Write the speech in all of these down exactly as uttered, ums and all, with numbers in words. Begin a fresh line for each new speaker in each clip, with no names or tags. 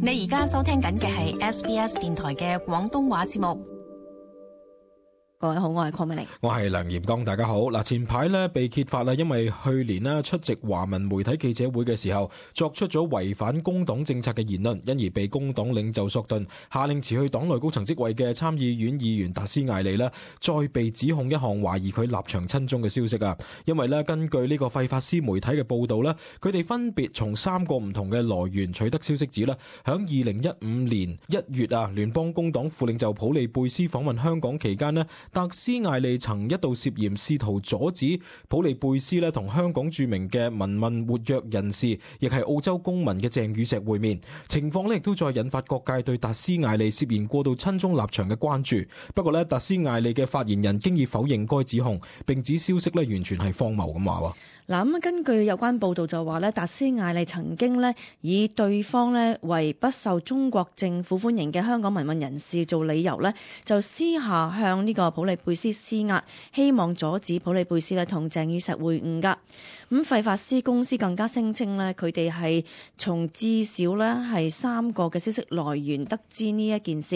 你而家收聽緊嘅係 S B S 電台嘅廣東話節目。
各位好，我係鄺美玲，
我係梁炎剛，大家好。嗱，前排咧被揭發啦，因為去年咧出席華文媒體記者會嘅時候，作出咗違反工黨政策嘅言論，因而被工黨領袖索頓下令辭去黨內高層職位嘅參議院議員達斯艾利咧，再被指控一項懷疑佢立場親中嘅消息啊。因為咧根據呢個費法斯媒體嘅報道咧，佢哋分別從三個唔同嘅來源取得消息指咧，響二零一五年一月啊，聯邦工黨副領袖普利貝斯訪問香港期間咧，達斯艾利曾一度涉嫌試圖阻止普利貝斯咧同香港著名嘅民運活躍人士，亦係澳洲公民嘅鄭宇碩會面。情況咧亦都再引發各界對達斯艾利涉嫌過度親中立場嘅關注。不過咧，達斯艾利嘅發言人經已否認該指控，並指消息咧完全係荒謬咁話。
嗱，咁根據有關報道就話咧，達斯艾利曾經咧以對方咧為不受中國政府歡迎嘅香港民運人士做理由咧，就私下向呢個普利貝斯施壓，希望阻止普利貝斯咧同鄭宇碩會晤噶。咁費法斯公司更加聲稱咧，佢哋係從至少咧係三個嘅消息來源得知呢一件事。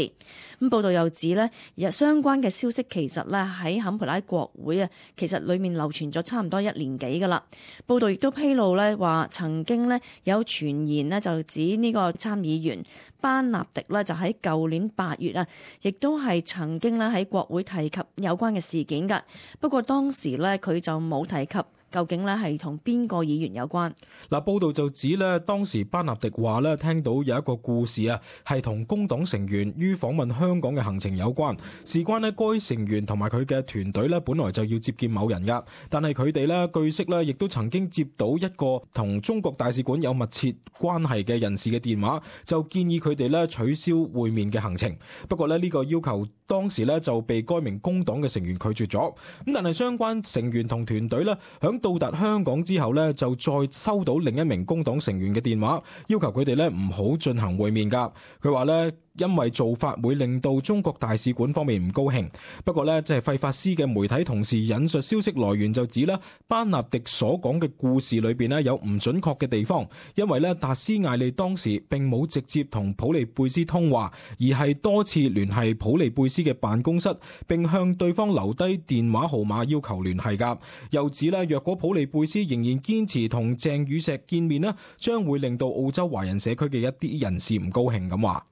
咁報道又指咧，相關嘅消息其實咧喺坎培拉國會啊，其實裡面流傳咗差唔多一年幾噶啦。報道亦都披露咧話，曾經咧有傳言咧就指呢個參議員班納迪咧就喺舊年八月啊，亦都係曾經咧喺國會提及有關嘅事件㗎。不過當時咧佢就冇提及究竟咧係同邊個議員有關？
嗱，報道就指咧，當時班納迪話咧，聽到有一個故事啊，係同工黨成員於訪問香港嘅行程有關。事關咧，該成員同埋佢嘅團隊咧，本來就要接見某人噶，但係佢哋咧，據悉咧，亦都曾經接到一個同中國大使館有密切關係嘅人士嘅電話，就建議佢哋咧取消會面嘅行程。不過咧，呢個要求當時咧就被該名工黨嘅成員拒絕咗。咁但係相關成員同團隊咧，響到達香港之後呢，就再收到另一名工黨成員嘅電話，要求佢哋呢唔好進行會面㗎。佢話呢，因為做法會令到中國大使館方面唔高興。不過呢，即係費法斯嘅媒體同時引述消息來源就指啦，班納迪所講嘅故事裏邊呢有唔準確嘅地方，因為呢，達斯艾利當時並冇直接同普利貝斯通話，而係多次聯繫普利貝斯嘅辦公室，並向對方留低電話號碼要求聯繫㗎。又指呢，若果普利貝斯仍然堅持同鄭宇碩見面呢，將會令到澳洲華人社區嘅一啲人士唔高興咁話。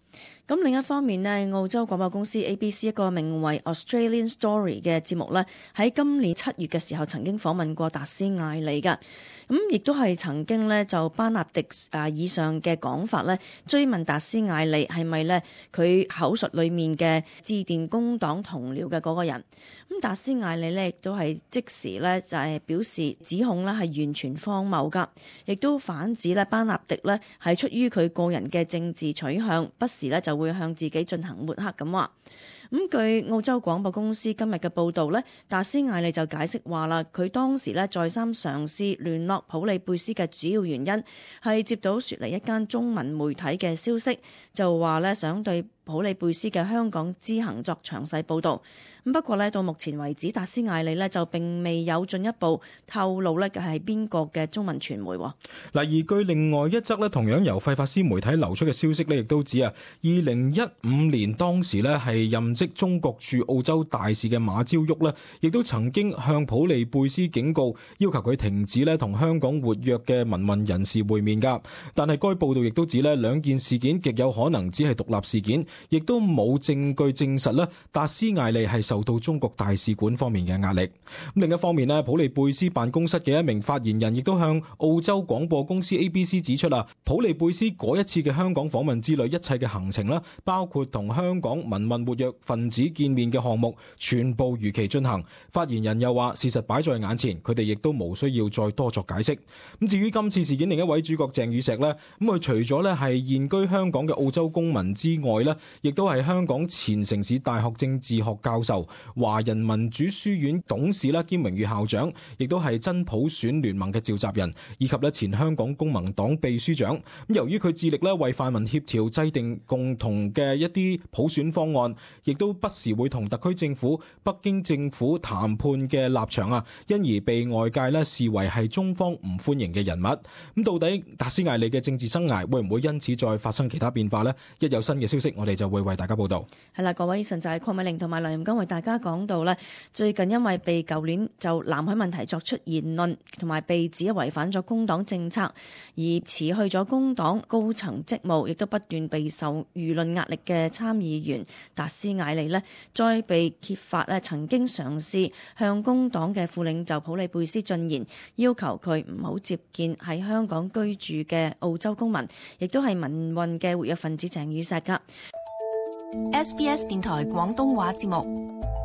咁另一方面呢，澳洲廣播公司 A B C 一個名為 Australian Story 嘅節目呢，喺今年七月嘅時候曾經訪問過達斯艾利㗎。咁亦都係曾經呢，就班納迪啊以上嘅講法呢，追問達斯艾利係咪呢佢口述裡面嘅致電工黨同僚嘅嗰個人。咁達斯艾利呢，亦都係即時呢，就係表示指控呢係完全荒謬㗎，亦都反指呢班納迪呢係出於佢個人嘅政治取向，不時呢就會向自己進行抹黑咁話。咁據澳洲廣播公司今日嘅報導呢，達斯艾利就解釋話啦，佢當時呢再三嘗試聯絡普利貝斯嘅主要原因係接到雪梨一間中文媒體嘅消息，就話呢想對普利貝斯嘅香港之行作詳細報導。咁不過呢，到目前為止，達斯艾利呢就並未有進一步透露呢係邊個嘅中文傳媒。嗱，
而據另外一則呢同樣由費法斯媒體流出嘅消息呢，亦都指啊，二零一五年當時呢係任職中國駐澳洲大使嘅馬朝旭呢，亦都曾經向普利貝斯警告，要求佢停止呢同香港活躍嘅民運人士會面㗎。但係該報道亦都指呢兩件事件極有可能只係獨立事件，亦都冇證據證實呢達斯艾利係受到中國大使館方面嘅壓力。另一方面呢，普利貝斯辦公室嘅一名發言人亦都向澳洲廣播公司 A B C 指出啦，普利貝斯嗰一次嘅香港訪問之類一切嘅行程啦，包括同香港民運活躍分子見面嘅項目，全部如期進行。發言人又話，事實擺在眼前，佢哋亦都無需要再多作解釋。咁至於今次事件另一位主角鄭宇碩呢，咁佢除咗呢係現居香港嘅澳洲公民之外呢，亦都係香港前城市大學政治學教授、華人民主書院董事啦兼榮譽校長，亦都係真普選聯盟嘅召集人，以及咧前香港公民黨秘書長。咁由於佢致力咧為泛民協調制定共同嘅一啲普選方案，亦亦都不時會同特區政府、北京政府談判嘅立場啊，因而被外界咧視為係中方唔歡迎嘅人物。咁到底達斯艾利嘅政治生涯會唔會因此再發生其他變化呢？一有新嘅消息，我哋就會為大家報道。
係啦，各位，以上就係鄺美玲同埋梁銜剛為大家講到咧，最近因為被舊年就南海問題作出言論，同埋被指違反咗工黨政策而辭去咗工黨高層職務，亦都不斷備受輿論壓力嘅參議員達斯艾利呢，再被揭發咧曾經嘗試向工黨嘅副領袖普里貝斯進言，要求佢唔好接見喺香港居住嘅澳洲公民，亦都係民運嘅活躍分子鄭宇碩噶。
S B S 電台廣東話節目。